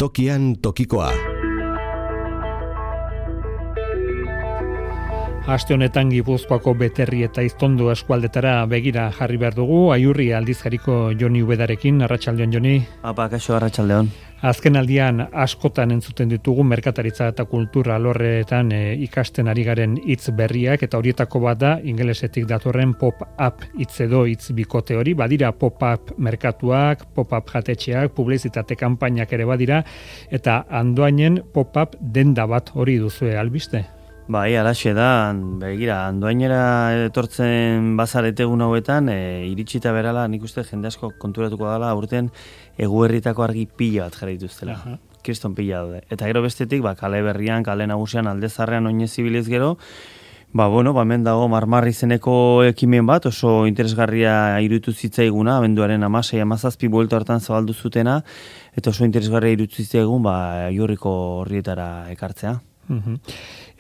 Tokian tokikoa. Aste honetan Gipuzkoako Beterri eta Iztondo eskualdetara begira jarri behar dugu. Aiurri aldizkariko Joni Ubedarekin. Arratsaldeon, Joni. Apa, kaixo, arratsaldeon. Azken aldian askotan entzuten ditugu merkataritza eta kultura alorretan ikasten ari garen hitz berriak, eta horietako bat da ingelesetik datorren pop-up hitz edo hitz bikote hori. Badira pop-up merkatuak, pop-up jatetxeak, publizitate kanpainak ere badira, eta Andoainen pop-up denda bat hori duzue albiste. Bai, alaxe da, begira, Andoainera etortzen bazarete egun hauetan, iritsita berala, nik uste jende asko konturatuko dela, aurten Eguberritako argi pila bat jarri dituztela. Kriston pila daude. Eta gero bestetik, kale berrian, kale nagusian, aldezarrean oinez zibiliz gero, hemen dago Marmar izeneko ekimen bat, oso interesgarria iruditu zitzaiguna, abenduaren 16-17 buelta hartan zabaldu zutena, eta oso interesgarria iruditu zitzaigun, Aiurriko horrietara ekartzea.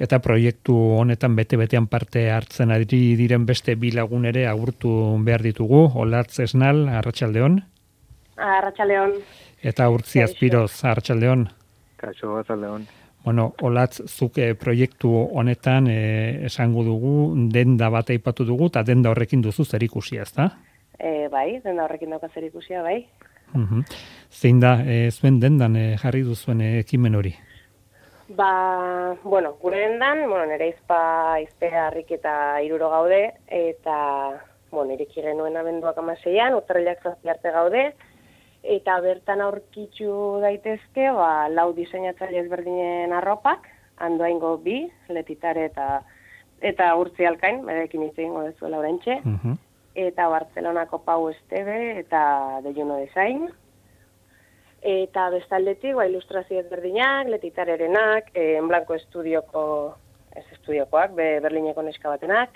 Eta proiektu honetan bete-betean parte hartzen ari diren beste bi lagun ere agurtu behar ditugu. Olatz Esnal, arratsaldeon. Arratsaldeon. Eta Urtzi Azpiroz, arratsaldeon. Kaixo, arratsaldeon. Olatz, zuke proiektu honetan esango dugu, denda bat aipatu dugu, eta denda horrekin duzu zerikusia, ezta? Bai, denda horrekin dauka zerikusia, bai. Zein da, zuen dendan jarri duzuen ekimen hori? Gure dendan, nire izpe harrik eta 3 gaude, eta, ireki genuen abenduak 16an, urtarrilak 7 arte gaude, eta bertan aurkitu daitezke, 4 diseinatzaile ezberdinen arropak, Andoaingo 2, Letitare eta Urtzi Alkain, berekin hitz egingo dezuela oraintxe, eta Bartzelonako Pau Esteve eta De Juno Design. Eta bestaldetik, ilustrazio ezberdinak, Letitarerenak, En Blanco estudiokoak, Berlineko neska batenak,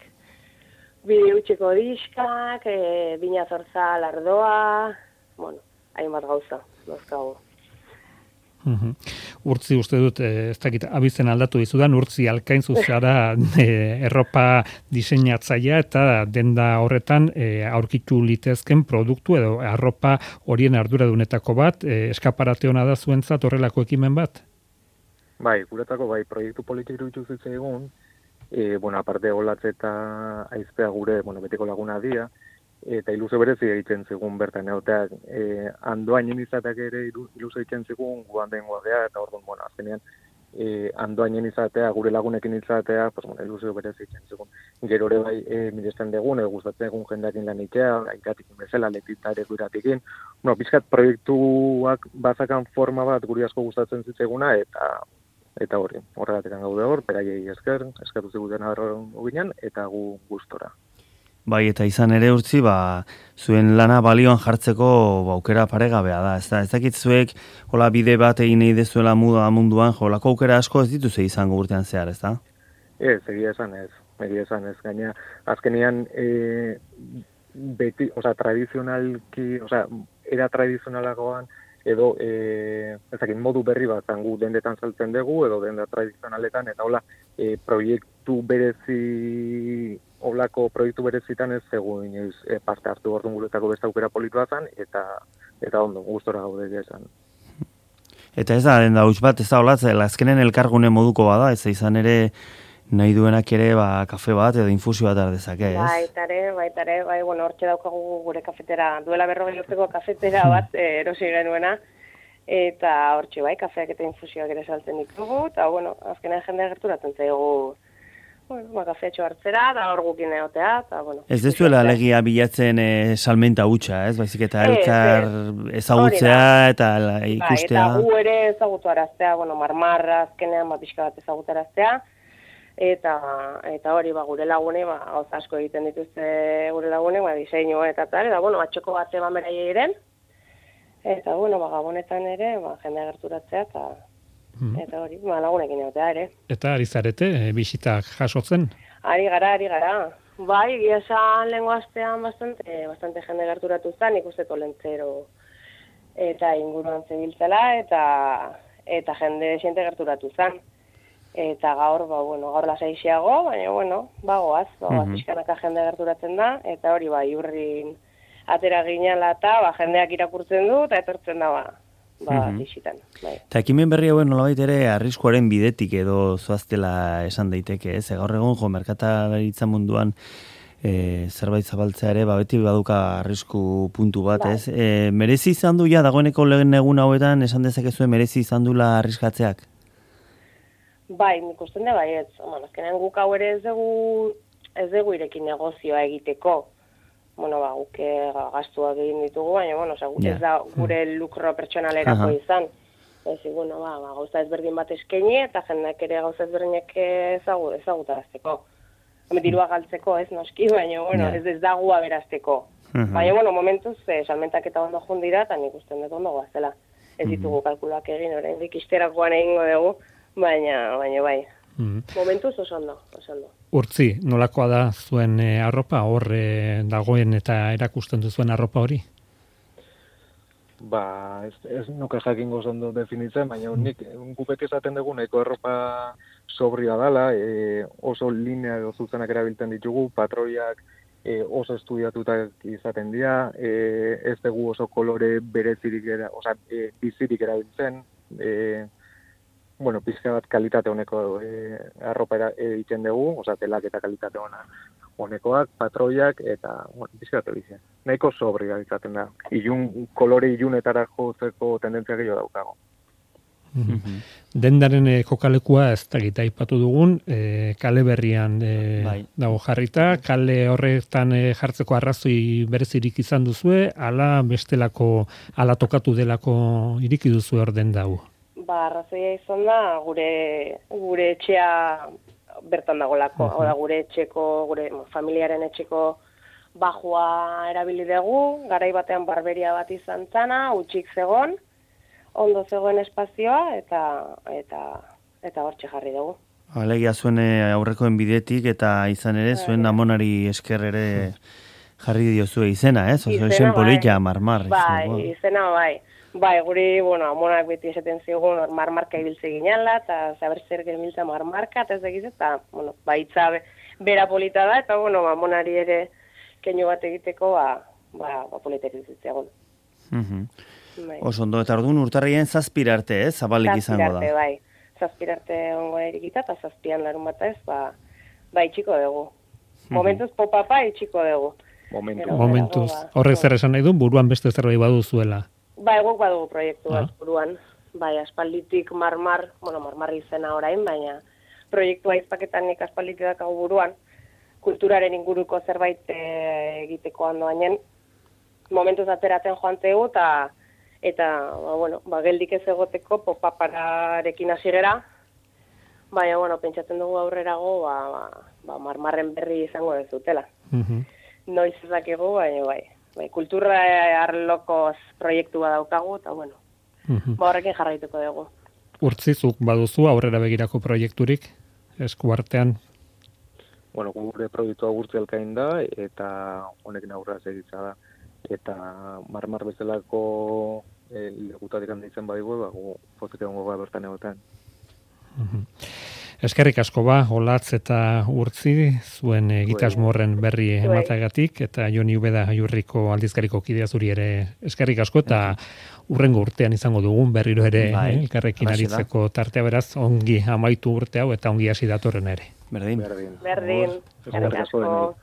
Bideutxeko diskak, Bina Zorzal Ardoa, hainbat gauza, dozkago. Urtzi, uste dut, ez dakit, abizen aldatu dizudan, Urtzi Alkain zuzara erropa diseinatzailea eta denda horretan aurkitu litezken produktu edo arropa horien arduradunetako bat, eskaparate hona da zuentzat horrelako ekimen bat? Bai, guretako proiektu politik iruditu zitzaigun, aparte Olatz eta Aizpea gure, beteko laguna dira, eta ilusio berezi egiten zigun bertan egoteak, Andoainen izateak ere ilusio egiten zigun guan den guadea, eta orduan, azkenean, Andoainen izatea, gure lagunekin izatea, ilusio berezi egiten zigun. Gero ere miresten dugun, gustatzen egun jendeakin lan itea, gaitikin bezala, Letitare iratikin. Pizkat proiektuak bazakan forma bat guri asko gustatzen zitzaiguna, eta horregatik gaude hor, beraiei eskertu ziguten aberron ginen, eta gu gustora. Bai, eta izan ere Urtzi, zuen lana balioan jartzeko aukera paregabea da. Ez dakit zuek, bide bat egin nahi dezuela munduan, lako aukera asko ez dituze izango urtean zehar, ez da? Ez, egia esan ez. Gaina, azkenean, beti, tradizionalki, era tradizionalagoan, edo, modu berri bat zangu dendetan saltzen dugu, edo denda tradizionaletan, eta proiektu berezi, olako proiektu berezitan ez zegoen parte hartu orduan guretako beste aukera politua zen, eta ondo, gustora gaude esan. Eta ez da, denda huts bat, ez da Olatz, azkenen elkargune moduko bada, ez izan ere nahi duenak ere kafe bat edo infusio bat ardezake, ez? Baitare, hortxe daukagu gure kafetera, duela 40 urteko kafetera bat erosi genuena, eta hortxe kafeak eta infusioak ere saltzen ditugu, eta azkenean jendea gerturatzen zaigu, kafetxo hartzera, eta hor gukin egotea, eta Ez dezuela alegia bilatzen salmenta hutsa, ez? Baizik eta elkar ezagutzea eta ikustea. Eta gu ere ezagutu araztea, Marmarra azkenean pixka bat ezagutu araztea, eta hori gure lagune, gauza asko egiten dituzte gure lagune, diseinu eta tal, eta atxoko bat eman beraiei eren, eta gabonetan ere, jendea gerturatzea, eta hori, lagunekin egotea ere. Eta ari zarete, bisitak jasotzen? Ari gara. Bai, egia esan lehengo astean bastante jende gerturatu zen, ikuste Tolentzero eta inguruan zebiltzela, eta jende xente gerturatu zen. Eta gaur, gaur lasaixiago, baina, goaz, pixkanaka jende gerturatzen da, eta hori, Aiurrin atera ginala eta jendeak irakurtzen du, eta etortzen da, bizitan. Bai. Eta ekimen berri hauen nolabait ere arriskuaren bidetik edo zoaztela esan daiteke, ez? Gaur egun merkataritza munduan zerbait zabaltzea ere, beti baduka arrisku puntu bat, ez? Merezi izan du ja dagoeneko lehen egun hauetan esan dezakezue merezi izan dula arriskatzeak? Bai, nik uste da bai, ez. Azkenean guk hau ere ez dugu irekin negozioa egiteko. Guk gastuak egin ditugu, baina, ez da gure lukro pertsonalerako izan. Gauza ezberdin bat eskaini eta jendeak ere gauza ezberdinak ezagutarazteko. Dirua galtzeko ez noski, baina, ez da gua berazteko. Baina, momentuz, salmentak eta ondo jundira, eta nik uste dut ondo goazela. Ez ditugu kalkulak egin, oraindik isterakoan egingo dugu, baina bai. Momentuz oso ondo. Urtzi, nolakoa da zuen arropa, hor dagoen eta erakusten duzuen arropa hori? Ez nuke jakingo ondo definitzen, baina nik gupek esaten dugu nahiko arropa sobria dela, oso linea edo zuzenak erabiltzen ditugu, patroiak oso estudiatutak izaten dira, ez dugu oso kolore berezirik, bizirik erabiltzen, pizka bat kalitate honeko arropa egiten dugu, telak eta kalitate honekoak, patroiak eta pizka bat bizia. Nahiko sobria izaten da. Kolore ilunetara jozeko tendentzia gehiago daukago. Dendaren kokalekua ez da gita aipatu dugun, kale berrian dago jarrita, kale horretan jartzeko arrazoi berezirik izan duzue, ala bestelako, ala tokatu delako iriki duzue hor den dago? Arrazoia izan da, gure etxea bertan dagolako. Hau da, gure familiaren etxeko bajua erabili dugu, garai batean barberia bat izan zana, utxik zegon, ondo zegoen espazioa, eta hortxe jarri dugu. Alegia zuen aurrekoen bidetik, eta izan ere, zuen amonari esker ere jarri diozue izena, ez? Izen polita, marmar. Izena bai. Bai, guri, amonak beti esaten zigun marmarka ibiltze ginala, eta zaber zer genbiltza marmarka, eta ez egiz, eta, itza bera polita da, eta, amonari ere keinu bat egiteko, polita egitzeagun. Oso ondo, eta orduan urtarrien zazpirarte, ez? Zabalik izango da. Bai, zazpirarte ongo erikita, eta zazpian larun bat ez, itxiko dugu. Momentuz popapa itxiko dugu. Momentuz. Horrek zer esan nahi du, buruan beste zerbait baduzuela. Guk badugu proiektu bat buruan. Aspalditik marmar izena orain, baina proiektua izpaketan nik aspalditik dakagu buruan. Kulturaren inguruko zerbait egiteko handoainen. Momentuz ateratzen joan zegu, eta geldik ez egoteko popapararekin hasi gera. Baina, pentsatzen dugu aurrerago, marmarren berri izango dezutela. Noiz ezakegu, baina bai. Kultura arloko proiektua daukagu, eta horrekin jarraituko dugu. Urtzizuk baduzu aurrera begirako proiekturik, eskuartean? Gure proiektua gurtzi elkain da, eta honekin aurrera segitza da. Eta marmar bezalako legutatik handitzen badigu, pozik egongo bertan egoten. Eskerrik asko Olatz eta Urtzi, zuen egitasmo horren berri ematagatik, eta Joni Ubeda Aiurriko aldizkariko kidea zuri ere eskerrik asko, eta urrengo urtean izango dugun berriro ere elkarrekin aritzeko tartea, beraz, ongi amaitu urte hau eta ongi hasi datorren ere. Berdin. Eskerrik asko.